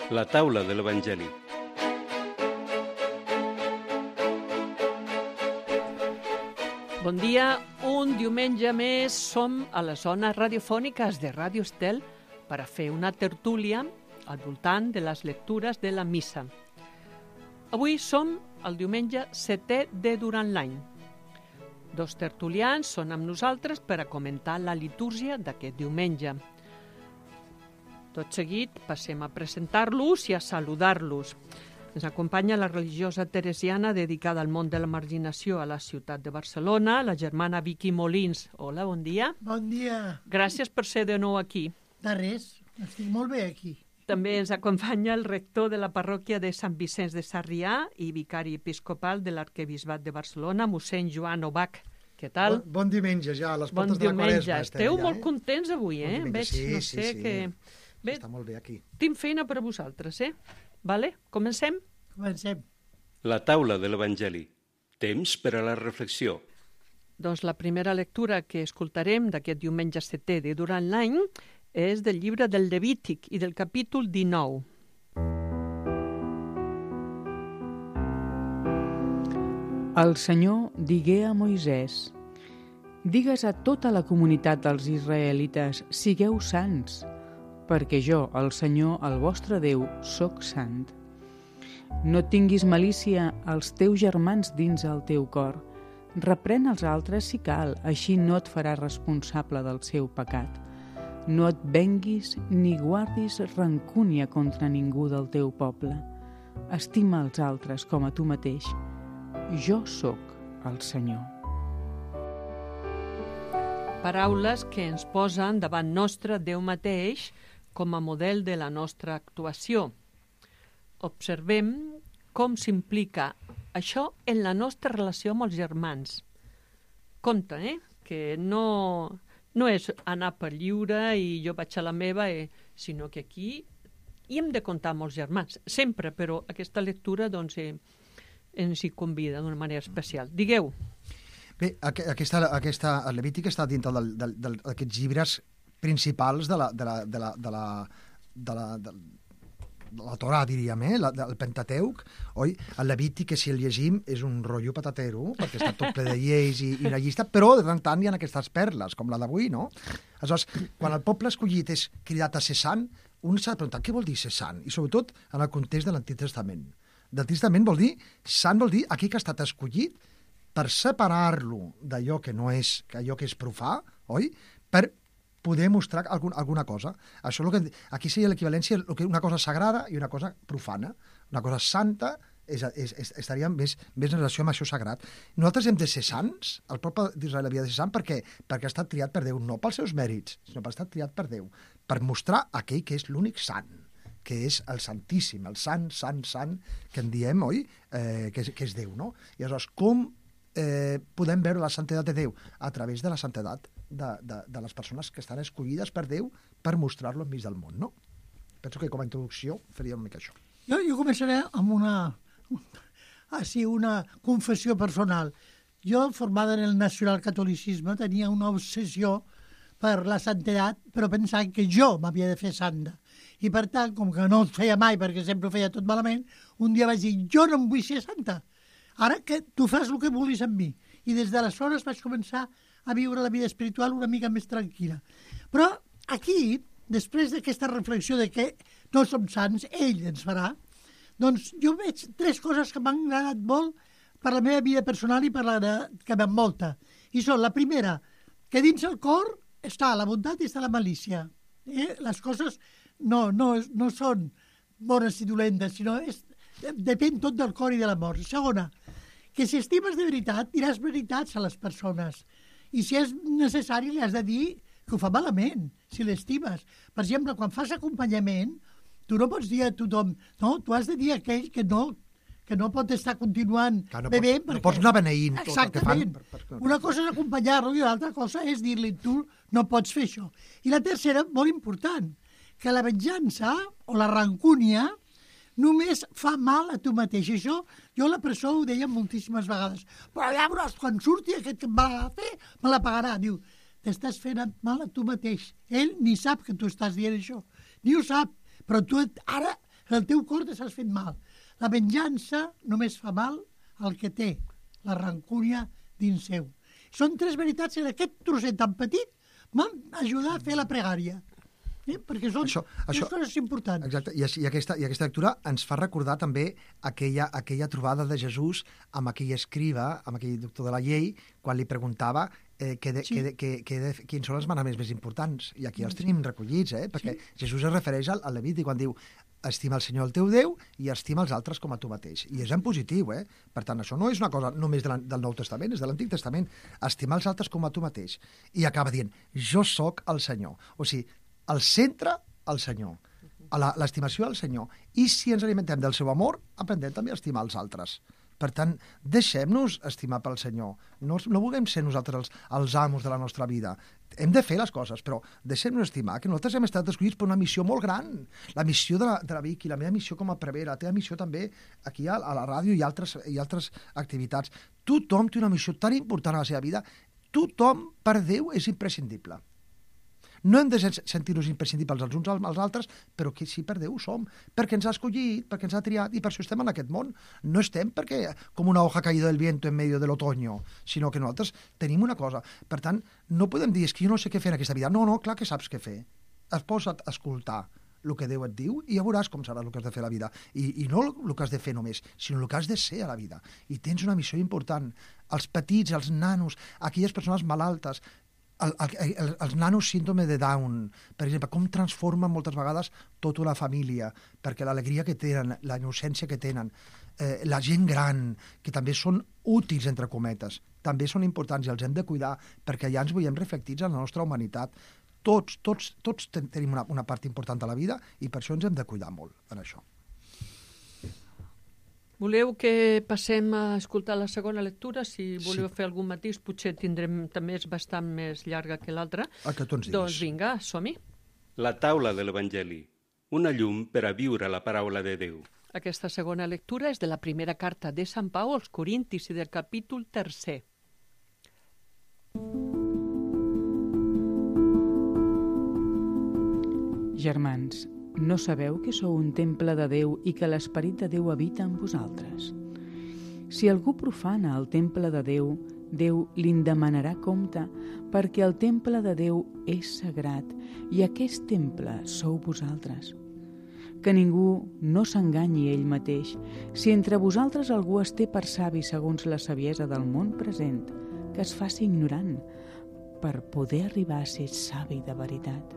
La taula de l'Evangeli. Bon dia, un diumenge més som a les zones radiofòniques de Ràdio Estel per a fer una tertúlia al voltant de les lectures de la missa. Avui som el diumenge 7è de durant l'any. Dos tertulians són amb nosaltres per a comentar la litúrgia d'aquest diumenge. Tot seguit passem a presentar-los i a saludar-los. Ens acompanya la religiosa teresiana dedicada al món de la marginació a la ciutat de Barcelona, la germana Vicky Molins. Hola, bon dia. Bon dia. Gràcies per ser de nou aquí. De res, estic molt bé aquí. També ens acompanya el rector de la parròquia de Sant Vicenç de Sarrià i vicari episcopal de l'Arquebisbat de Barcelona, mossèn Joan Obach. Què tal? Bon diumenge, ja, a les portes de la Quaresma. Esteu molt contents avui, eh? Veig, sí. que... Bé, està molt bé aquí. tinc feina per a vosaltres, eh? Vale? Comencem? Comencem. La taula de l'Evangeli. Temps per a la reflexió. Doncs la primera lectura que escoltarem d'aquest diumenge 7è de durant l'any és del llibre del Levític i del capítol 19. El Senyor digué a Moisès: digues a tota la comunitat dels israelites, sigueu sants, perquè jo, el Senyor, el vostre Déu, sóc sant. No tinguis malícia als teus germans dins el teu cor. Reprèn els altres si cal, així no et faràs responsable del seu pecat. No et venguis ni guardis rancúnia contra ningú del teu poble. Estima els altres com a tu mateix. Jo sóc el Senyor. Paraules que ens posen davant nostre Déu mateix com a model de la nostra actuació. Observem com s'implica això en la nostra relació amb els germans. Compte, que no és anar per lliure i jo vaig a la meva, sinó que aquí hi hem de comptar amb els germans, sempre, però aquesta lectura doncs, ens hi convida d'una manera especial. Digueu. Bé, el Levític està dintre d'aquests llibres principals de la Torà, diríem, el Pentateuc, oi? El Levític, que si el llegim, és un rotllo patatero, perquè està tot ple de lleis i una llista, però de tant en tant hi ha aquestes perles, com la d'avui, no? Aleshores, quan el poble escollit és cridat a ser sant, un s'ha de preguntar què vol dir ser sant, i sobretot en el context de l'Antic Testament. L'Antic Testament vol dir, sant vol dir aquell que ha estat escollit per separar-lo d'allò que no és, allò que és profà, oi? Per poder mostrar alguna cosa. Això és que aquí seria l'equivalència una cosa sagrada i una cosa profana. Una cosa santa estaria més en relació amb això sagrat. Nosaltres hem de ser sants, el poble d'Israel havia de ser sant perquè ha estat triat per Déu, no pels seus mèrits, sinó per estar triat per Déu, per mostrar aquell que és l'únic sant, que és el Santíssim, el sant, que en diem, oi? Que és Déu, no? I aleshores, com podem veure la santedat de Déu? A través de la santedat de les persones que estan escollides per Déu per mostrar-lo enmig del món, no? Penso que com a introducció faríem una mica això. Jo començaré amb una confessió personal. Jo, formada en el nacionalcatolicisme, tenia una obsessió per la santedat, però pensant que jo m'havia de fer santa. I per tant, com que no ho feia mai, perquè sempre ho feia tot malament, un dia vaig dir, jo no em vull ser santa. Ara que tu fas el que vulguis amb mi. I des d'aleshores vaig començar a viure la vida espiritual una mica més tranquil·la. Però aquí, després d'aquesta reflexió de que no som sants, ell ens farà, doncs jo veig 3 coses que m'han agradat molt per la meva vida personal i per la que m'envolta. I són, la primera, que dins el cor està la bondat i està la malícia. Les coses no són bones i dolentes, sinó depèn tot del cor i de l'amor. Segona, que si estimes de veritat, diràs veritats a les persones. I si és necessari, li has de dir que ho fa malament, si l'estimes. Per exemple, quan fas acompanyament, tu no pots dir a tothom, no, tu has de dir a aquell que no pot estar continuant bevent. No pots anar beneint tot el que fan. Exactament. Una cosa és acompanyar-lo i l'altra cosa és dir-li, tu no pots fer això. I la tercera, molt important, que la venjança o la rancúnia només fa mal a tu mateix. Això, jo a la presó ho deia moltíssimes vegades. Però llavors, quan surti aquest que em va fer, me la pagarà. Diu, t'estàs fent mal a tu mateix. Ell ni sap que tu estàs dient això. Ni ho sap. Però tu ara el teu cor te s'has fet mal. La venjança només fa mal al que té la rancúnia dins seu. Són 3 veritats en aquest trosset tan petit m'han ajudat a fer la pregària. Perquè són tres coses importants. Exacte, i aquesta lectura ens fa recordar també aquella trobada de Jesús amb aquell escriba, amb aquell doctor de la llei, quan li preguntava quins són els manaments més importants. I aquí els tenim recollits, perquè Jesús es refereix al Levític quan diu estima el Senyor el teu Déu i estima els altres com a tu mateix. I és en positiu, Per tant, això no és una cosa només del Nou Testament, és de l'Antic Testament. Estimar els altres com a tu mateix. I acaba dient, jo sóc el Senyor. O sigui, al centre, el Senyor. L'estimació al Senyor. I si ens alimentem del seu amor, aprendrem també a estimar els altres. Per tant, deixem-nos estimar pel Senyor. No vulguem ser nosaltres els amos de la nostra vida. Hem de fer les coses, però deixem-nos estimar, que nosaltres hem estat escollits per una missió molt gran. La missió de la Vicky, la meva missió com a prevera, la teva missió també aquí a la ràdio i altres activitats. Tothom té una missió tan important a la seva vida. Tothom, per Déu, és imprescindible. No hem de sentir-nos imprescindibles els uns als altres, però que sí, per Déu ho som, perquè ens ha escollit, perquè ens ha triat, i per això estem en aquest món. No estem perquè com una hoja caída del viento en medio del otoño, sinó que nosaltres tenim una cosa. Per tant, no podem dir, és que jo no sé què fer en aquesta vida. No, clar que saps què fer. Es posa't a escoltar el que Déu et diu i ja veuràs com serà el que has de fer a la vida. I no el que has de fer només, sinó el que has de ser a la vida. I tens una missió important. Els petits, els nanos, aquelles persones malaltes, els nanos síndrome de Down, per exemple, com transformen moltes vegades tota una família, perquè l'alegria que tenen, la innocència que tenen, la gent gran, que també són útils, entre cometes, també són importants i els hem de cuidar, perquè ja ens veiem reflectits en la nostra humanitat. Tots tenim una part important de la vida i per això ens hem de cuidar molt en això. Voleu que passem a escoltar la segona lectura? Si voleu fer algun matís, potser tindrem, també és bastant més llarga que l'altra. El que tu ens diguis. Doncs vinga, som-hi. La taula de l'Evangeli, una llum per a viure la paraula de Déu. Aquesta segona lectura és de la primera carta de Sant Pau als Corintis i del capítol 3. Germans, no sabeu que sou un temple de Déu i que l'Esperit de Déu habita en vosaltres? Si algú profana el temple de Déu, Déu li'n demanarà compte, perquè el temple de Déu és sagrat i aquest temple sou vosaltres. Que ningú no s'enganyi ell mateix. Si entre vosaltres algú es té per savi segons la saviesa del món present, que es faci ignorant, per poder arribar a ser savi de veritat.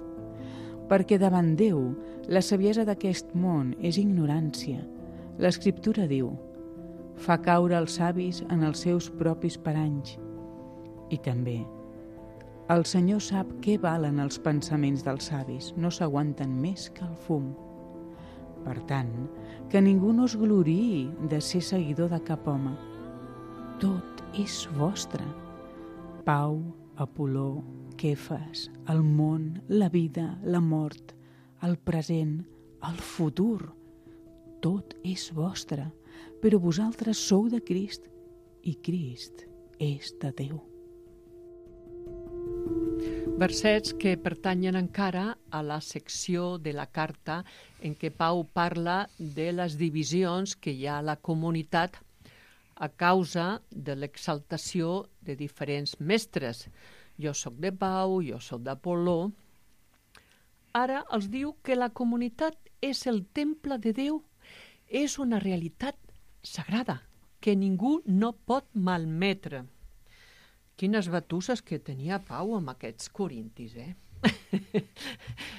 Perquè davant Déu, la saviesa d'aquest món és ignorància. L'Escriptura diu, fa caure els savis en els seus propis paranys. I també, el Senyor sap què valen els pensaments dels savis, no s'aguanten més que el fum. Per tant, que ningú no es gloriï de ser seguidor de cap home. Tot és vostre. Pau, Apol·ló, Kefas, el món, la vida, la mort, el present, el futur. Tot és vostre, però vosaltres sou de Crist i Crist és de Déu. Versets que pertanyen encara a la secció de la carta en què Pau parla de les divisions que hi ha a la comunitat a causa de l'exaltació de diferents mestres. Jo sóc de Pau, jo sóc d'Apol·ló. Ara els diu que la comunitat és el temple de Déu, és una realitat sagrada que ningú no pot malmetre. Quines batusses que tenia Pau amb aquests corintis,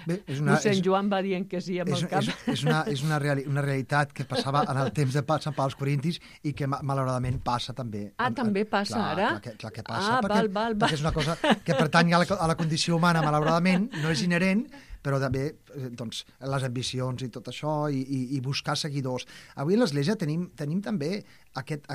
Bé, mossèn Joan va dient que sí amb el cap. És una realitat que passava en el temps de Sant Pau als Corintis i que malauradament passa també. També passa ara? Clar que passa, perquè és una cosa que pertany a la condició humana, malauradament, no és inherent, però també doncs, les ambicions i tot això, i buscar seguidors. Avui a l'Església tenim també aquest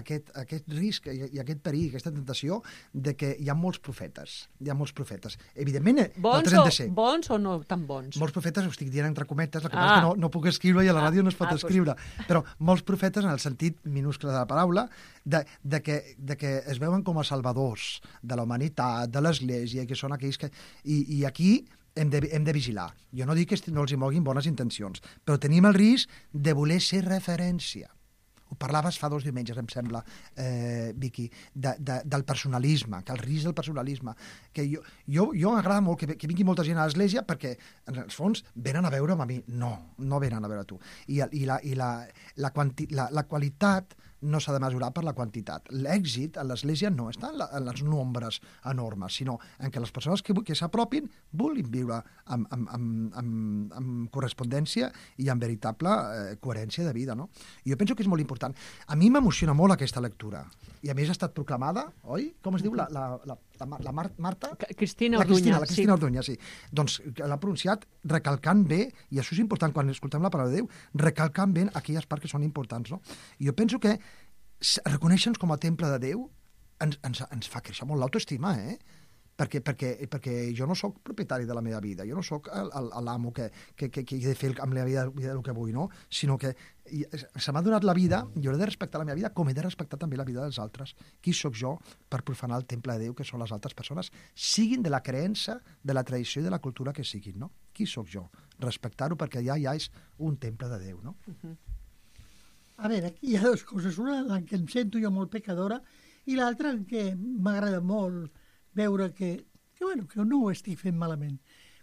risc i aquest perill, aquesta tentació de que hi ha molts profetes. Hi ha molts profetes. Evidentment, nosaltres hem de ser. Bons o no tan bons? Molts profetes, ho estic dient entre cometes, el que passa és que no puc escriure i a la ràdio no es pot escriure. Però molts profetes, en el sentit minúscul de la paraula, de que es veuen com a salvadors de la humanitat, de l'Església, que són aquells que... I aquí hem de vigilar. Jo no dic que no els hi moguin bones intencions, però tenim el risc de voler ser referència. Ho parlaves fa 2 diumenges, em sembla, Vicky, del personalisme, que el risc del personalisme. Que jo m'agrada molt que vingui molta gent a l'església perquè, en els fons, venen a veure'm a mi. No venen a veure a tu. I la qualitat no s'ha de mesurar per la quantitat. L'èxit a l'església no està en els nombres enormes, sinó en què les persones que s'apropin vulguin viure amb correspondència i amb veritable coherència de vida. No? I jo penso que és molt important. A mi m'emociona molt aquesta lectura. I a més ha estat proclamada, oi? Com es diu la Marta? Cristina Orduña. La Cristina Orduña, sí. Doncs l'ha pronunciat recalcant bé, i això és important quan escoltem la paraula de Déu, recalcant bé aquelles parts que són importants. No? I jo penso que reconèixer-nos com a temple de Déu ens fa créixer molt l'autoestima, perquè jo no sóc propietari de la meva vida, jo no sóc l'amo que he de fer amb la vida el que vull, no? Sinó que se m'ha donat la vida, jo he de respectar la meva vida com he de respectar també la vida dels altres. Qui sóc jo per profanar el temple de Déu que són les altres persones, siguin de la creença, de la tradició i de la cultura que siguin, no? Qui sóc jo? Respectar-ho perquè ja és un temple de Déu, no? A veure, aquí hi ha 2 coses. Una en què em sento jo molt pecadora i l'altra en què m'agrada molt veure que no ho estic fent malament.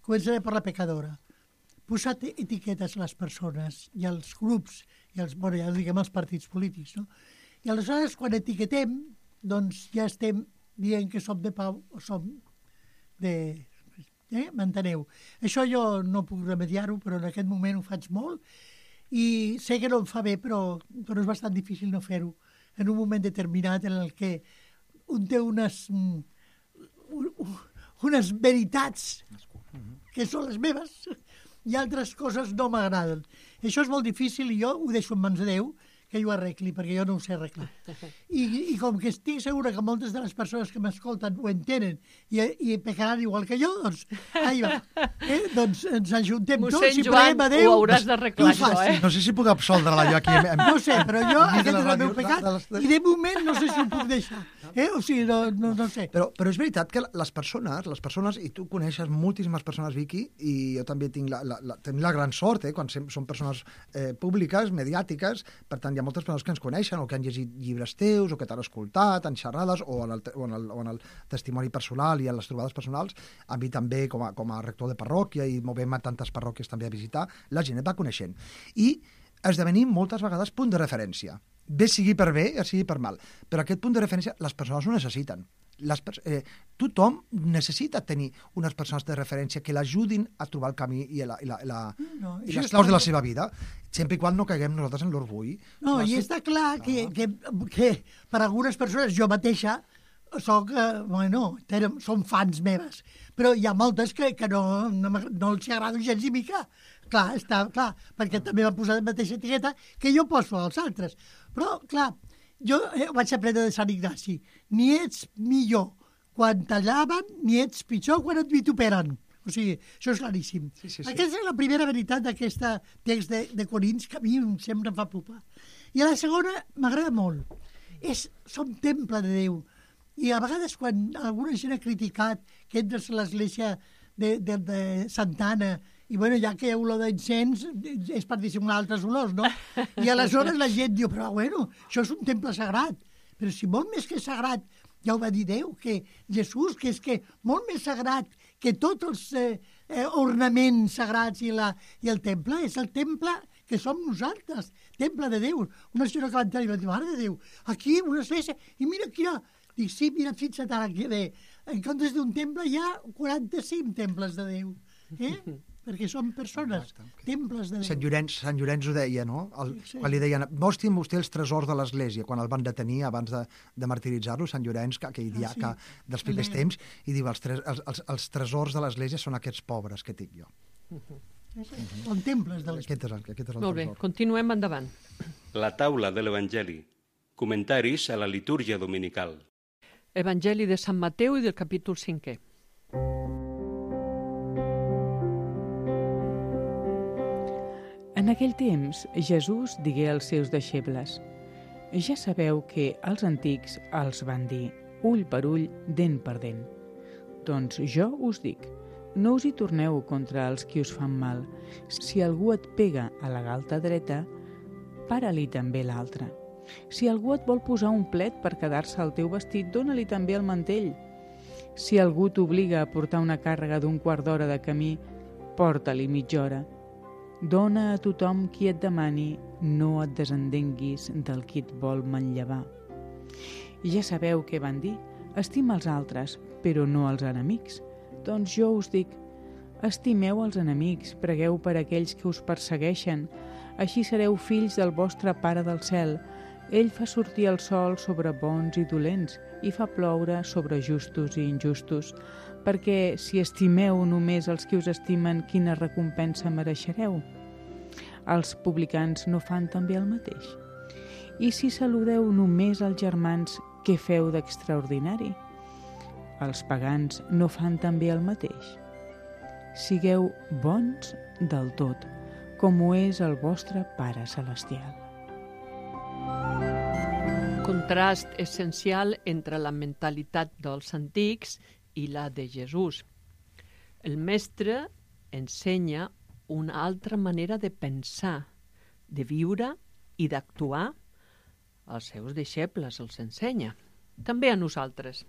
Començaré per la pecadora. Posar etiquetes a les persones i als grups, ja diguem els partits polítics, no? I aleshores, quan etiquetem, doncs ja estem dient que som de pau o som de... M'enteneu? Això jo no puc remediar-ho, però en aquest moment ho faig molt i sé que no em fa bé, però és bastant difícil no fer-ho en un moment determinat en el que un té unes veritats que són les meves i altres coses no m'agraden. Això és molt difícil i jo ho deixo en mans de Déu que jo arregli, perquè jo no ho sé arreglar. I com que estic segura que moltes de les persones que m'escolten ho entenen i pecaran igual que jo, doncs, ahí va. Doncs ens ajuntem tots Mossèn i Joan, preguem a Déu. ho hauràs d'arreglar, això, No sé si puc absoldre-la jo aquí. No sé, però jo, aquest és el meu pecat, i de moment no sé si ho puc deixar. O sigui, no sé. Però és veritat que les persones, i tu coneixes moltíssimes persones, Vicky, i jo també tinc la gran sort, quan són persones públiques, mediàtiques, per tant, hi ha moltes persones que ens coneixen o que han llegit llibres teus o que t'han escoltat en xerrades o en el testimoni personal i en les trobades personals. A mi també, com a rector de parròquia i movem a tantes parròquies també a visitar, la gent et va coneixent. I esdevenim moltes vegades punt de referència. Bé sigui per bé, sigui per mal. Però aquest punt de referència les persones ho necessiten. Tothom necessita tenir unes persones de referència que l'ajudin a trobar el camí i les claus de la seva vida, sempre i quan no caiguem nosaltres en l'orgull. No, i està clar que per algunes persones, jo mateixa, són fans meves, però hi ha moltes que no els agrada gens ni mica. Clar, està clar, perquè també van posar la mateixa etiqueta que jo poso als altres. Però, clar, jo vaig aprendre de Sant Ignaci. Ni ets millor quan t'allaven, ni ets pitjor quan et vituperen. O sigui, això és claríssim. Sí. Aquesta és la primera veritat d'aquest text de Corins que a mi sempre em fa pupar. I a la segona m'agrada molt. Som temple de Déu. I a vegades quan alguna gent ha criticat que entres a l'església de Santa Anna i bueno, ja que hi ha olor d'encens és per dissimular altres olors, no? I aleshores la gent diu, però bueno, això és un temple sagrat. Però si molt més que sagrat, ja ho va dir Déu, que Jesús, que és que molt més sagrat que tots els ornaments sagrats i el temple, és el temple que som nosaltres, temple de Déu. Una senyora que va entrar i va dir, mare de Déu, aquí una església, i mira quina... Dic, sí, mira, fixa't ara que bé. En comptes d'un temple hi ha 45 temples de Déu. Perquè som persones, temples de Déu. Sant Llorenç ho deia, no? Quan li deien, mostrin vostè els tresors de l'Església, quan el van detenir abans de martiritzar-lo, Sant Llorenç, aquell diaca dels primers temps, i diu, els tresors de l'Església són aquests pobres que tinc jo. Són temples de l'Església. Aquest és el Molt bé, tresor. continuem endavant. La taula de l'Evangeli. Comentaris a la litúrgia dominical. Evangeli de Sant Mateu i del capítol 5è. En aquell temps, Jesús digué als seus deixebles: ja sabeu que els antics els van dir ull per ull, dent per dent. Doncs jo us dic, no us hi torneu contra els qui us fan mal. Si algú et pega a la galta dreta, para-li també l'altra. Si algú et vol posar un plet per quedar-se al teu vestit, dóna-li també el mantell. Si algú t'obliga a portar una càrrega d'un quart d'hora de camí, porta-li mitja hora. Dona a tothom qui et demani, no et desendenguis del qui et vol manllevar. I ja sabeu què van dir. Estima els altres, però no els enemics. Doncs jo us dic, estimeu els enemics, pregueu per aquells que us persegueixen, així sereu fills del vostre Pare del cel. Ell fa sortir el sol sobre bons i dolents i fa ploure sobre justos i injustos, perquè si estimeu només els que us estimen, quina recompensa mereixereu? Els publicans no fan també el mateix? I si saludeu només els germans, què feu d'extraordinari? Els pagans no fan també el mateix? Sigueu bons del tot, com ho és el vostre Pare celestial. Contrast essencial entre la mentalitat dels antics i la de Jesús. El mestre ensenya una altra manera de pensar, de viure i d'actuar. Als seus deixebles els ensenya, també a nosaltres.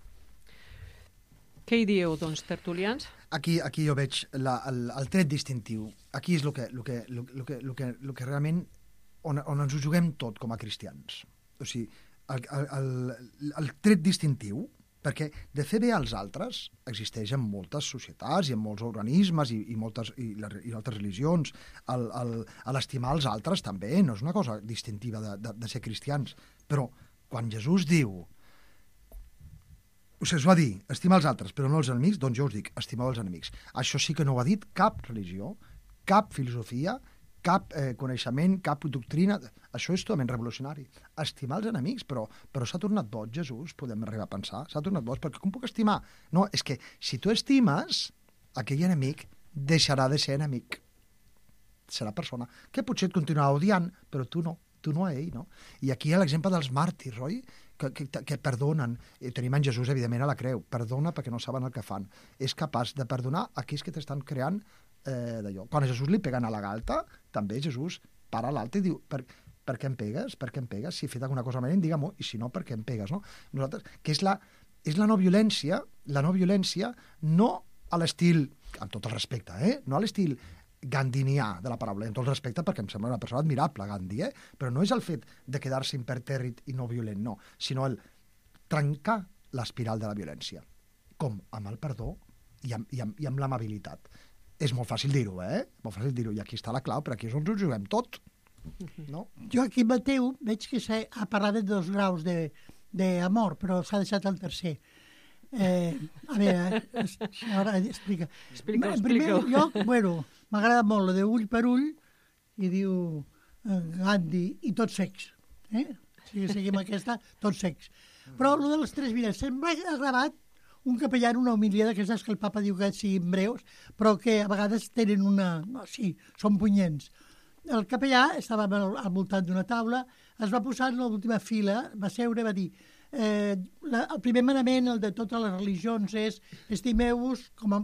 Què hi dieu, doncs, tertulians? Aquí jo veig el tret distintiu. Aquí és el que realment on ens ho juguem tot com a cristians. O sigui, el tret distintiu, perquè de fer bé als altres existeix en moltes societats i en molts organismes i altres religions. L'estimar els altres també no és una cosa distintiva de ser cristians. Però quan Jesús diu, us va dir, estimar els altres però no els enemics, doncs jo us dic, estimeu els enemics. Això sí que no ho ha dit cap religió, cap filosofia, cap coneixement, cap doctrina. Això és totalment revolucionari. Estimar els enemics, però s'ha tornat boig, Jesús, podem arribar a pensar. S'ha tornat boig, perquè com puc estimar? No, és que si tu estimes, aquell enemic deixarà de ser enemic. Serà persona que potser et continuarà odiant, però tu no a ell, no? I aquí hi ha l'exemple dels màrtirs, oi? Que perdonen. Tenim en Jesús, evidentment, a la creu. Perdona perquè no saben el que fan. És capaç de perdonar aquells que t'estan creant d'allò. Quan a Jesús li peguen a la galta, també Jesús para l'altre i diu, per què em pegues? Per què em pegues? Si he fet alguna cosa malament, digue-m'ho, i si no, per què em pegues? No? Nosaltres, que és la no violència, no a l'estil, amb tot el respecte, no a l'estil gandinià de la paraula, amb tot el respecte, perquè em sembla una persona admirable, Gandhi, però no és el fet de quedar-se impertèrrit i no violent, no, sinó el trencar l'espiral de la violència, com amb el perdó i amb l'amabilitat. És molt fàcil dir-ho, Molt fàcil dir-ho, i aquí està la clau, però aquí és on ens juguem tot, no? Jo aquí Mateu veig que ha parlat de 2 graus d'amor, però s'ha deixat el tercer. A veure, ara explica. Explica-ho. En primer lloc, m'agrada molt lo de ull per ull, i diu Gandhi, i tots secs. Si seguim aquesta, tots secs. Però lo de les 3 vides, se'm ha gravat un capellà en una homilia d'aquestes que el papa diu que siguin breus, però que a vegades tenen sí, són punyents. El capellà estava al voltant d'una taula, es va posar en l'última fila, va seure i va dir el primer manament, el de totes les religions, és estimeu-vos com a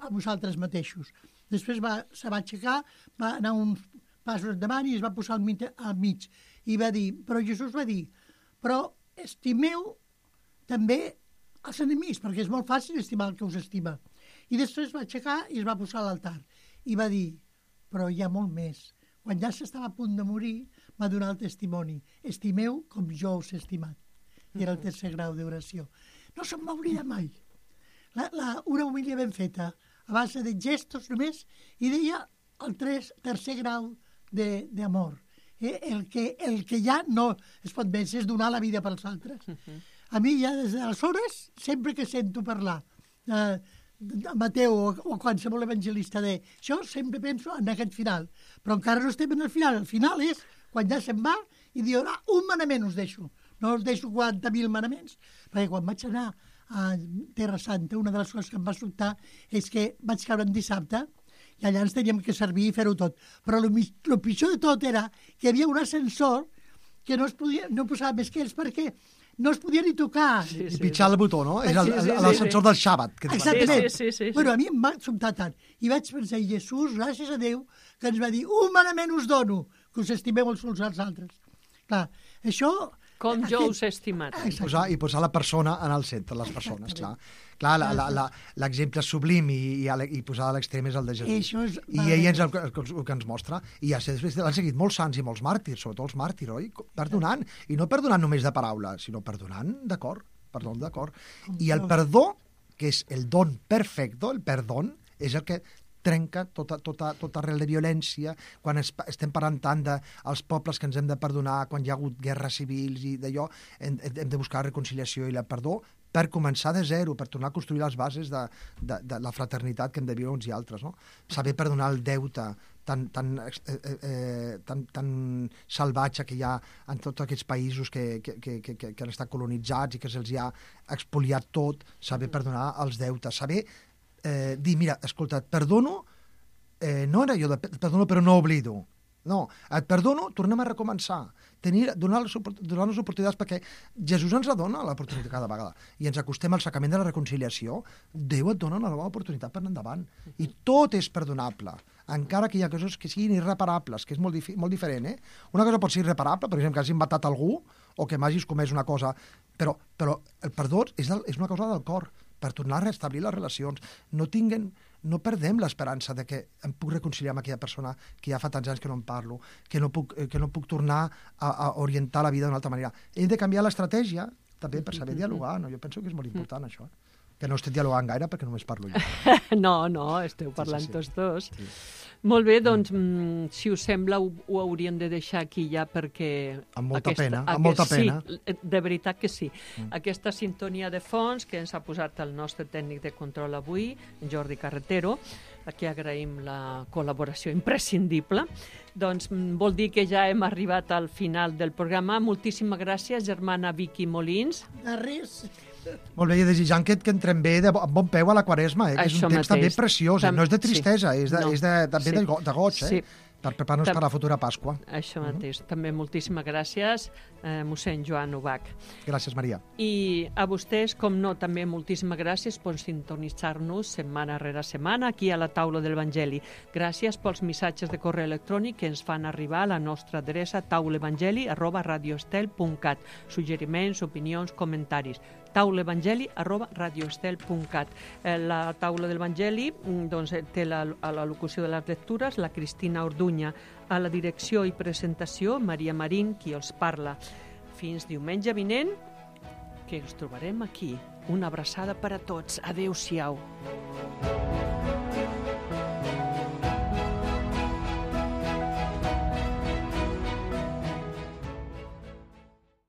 vosaltres mateixos. Després se va aixecar, va anar uns passos endavant i es va posar al mig. I va dir, però Jesús va dir, però estimeu també els enemics, perquè és molt fàcil estimar el que us estima. I després va aixecar i es va posar a l'altar. I va dir, però hi ha molt més. Quan ja s'estava a punt de morir, va donar el testimoni. Estimeu com jo us he estimat. I era el tercer grau d'oració. No se'm va oblidar mai. Una homilia ben feta, a base de gestos només, i deia el tercer grau d'amor. El que ja no es pot vèncer és donar la vida pels altres. A mi ja des d'aleshores, sempre que sento parlar de Mateu o qualsevol evangelista d'això, sempre penso en aquest final. Però encara no estem en el final. El final és quan ja se'n va i diu, un manament us deixo. No us deixo 40.000 manaments. Perquè quan vaig anar a Terra Santa, una de les coses que em va sobtar és que vaig caure en dissabte i allà ens teníem que servir i fer-ho tot. Però el pitjor de tot era que hi havia un ascensor que no posava més que ells perquè no es podia ni tocar. Sí, I pitjar el botó, no? És sí, l'ascensor del Shabbat. Que Exactament. Sí. Bueno, a mi em va sobtar tant. I vaig pensar, Jesús, gràcies a Déu, que ens va dir, humanament us dono, que us estimeu els uns als altres. Clar, això... Com jo us he estimat. I posar la persona en el centre, les persones, clar. Clar, l'exemple sublim i posar a l'extrem és el de Jesús. Això és... I ell és el que ens mostra. I ja després l'han seguit molts sants i molts màrtirs, sobretot els màrtirs, oi? Perdonant. I no perdonant només de paraula, sinó perdonant de cor. Perdó de cor. I el perdó, que és el don perfecte, el perdó, és el que trenca tota arrel de violència, quan estem parlant tant dels pobles que ens hem de perdonar, quan hi ha hagut guerres civils i d'allò, hem de buscar la reconciliació i el perdó per començar de zero, per tornar a construir les bases de la fraternitat que hem de viure uns i altres, no? Saber perdonar el deute tan salvatge que hi ha en tots aquests països que han estat colonitzats i que se'ls ha expoliat tot, saber perdonar els deutes, saber dir, mira, escolta, et perdono, no era jo de perdono però no oblido, no, et perdono, tornem a recomençar, donar les oportunitats, perquè Jesús ens la dona l'oportunitat cada vegada, i ens acostem al sacrament de la reconciliació, Déu et dona una nova oportunitat per anar endavant, i tot és perdonable, encara que hi ha coses que siguin irreparables, que és molt diferent, Una cosa pot ser irreparable, per exemple, que hagis matat algú, o que m'hagis comès una cosa, però el perdó és una cosa del cor, per tornar a restablir les relacions. No perdem l'esperança de que em puc reconciliar amb aquella persona que ja fa tants anys que no em parlo, que no puc tornar a orientar la vida d'una altra manera. Hem de canviar l'estratègia també per saber dialogar, no? Jo penso que és molt important això, que no estic dialogant gaire perquè només parlo jo. No, esteu parlant tots dos. Sí. Molt bé, doncs, si us sembla, ho hauríem de deixar aquí ja perquè... Amb molta pena. Sí, de veritat que sí. Aquesta sintonia de fons que ens ha posat el nostre tècnic de control avui, Jordi Carretero, a qui agraïm la col·laboració imprescindible, doncs vol dir que ja hem arribat al final del programa. Moltíssimes gràcies, germana Vicky Molins. De res. Molt bé, i desitjant que entrem bé amb bon peu a la Quaresma, que és un temps també preciós, no és de tristesa, és també de goig, Sí. Per preparar-nos per la futura Pasqua. Això mateix. També moltíssimes gràcies, mossèn Joan Ubach. Gràcies, Maria. I a vostès, com no, també moltíssimes gràcies per sintonitzar-nos setmana rere setmana aquí a la taula de l'Evangeli. Gràcies pels missatges de correu electrònic que ens fan arribar a la nostra adreça taulevangeli@radioestel.cat. Suggeriments, opinions, comentaris. taulevangeli@radioestel.cat. La taula de l'Evangeli doncs, té a la locució de les lectures la Cristina Orduña, a la direcció i presentació Maria Marín, qui els parla. Fins diumenge vinent, que ens trobarem aquí. Una abraçada per a tots. Adéu-siau.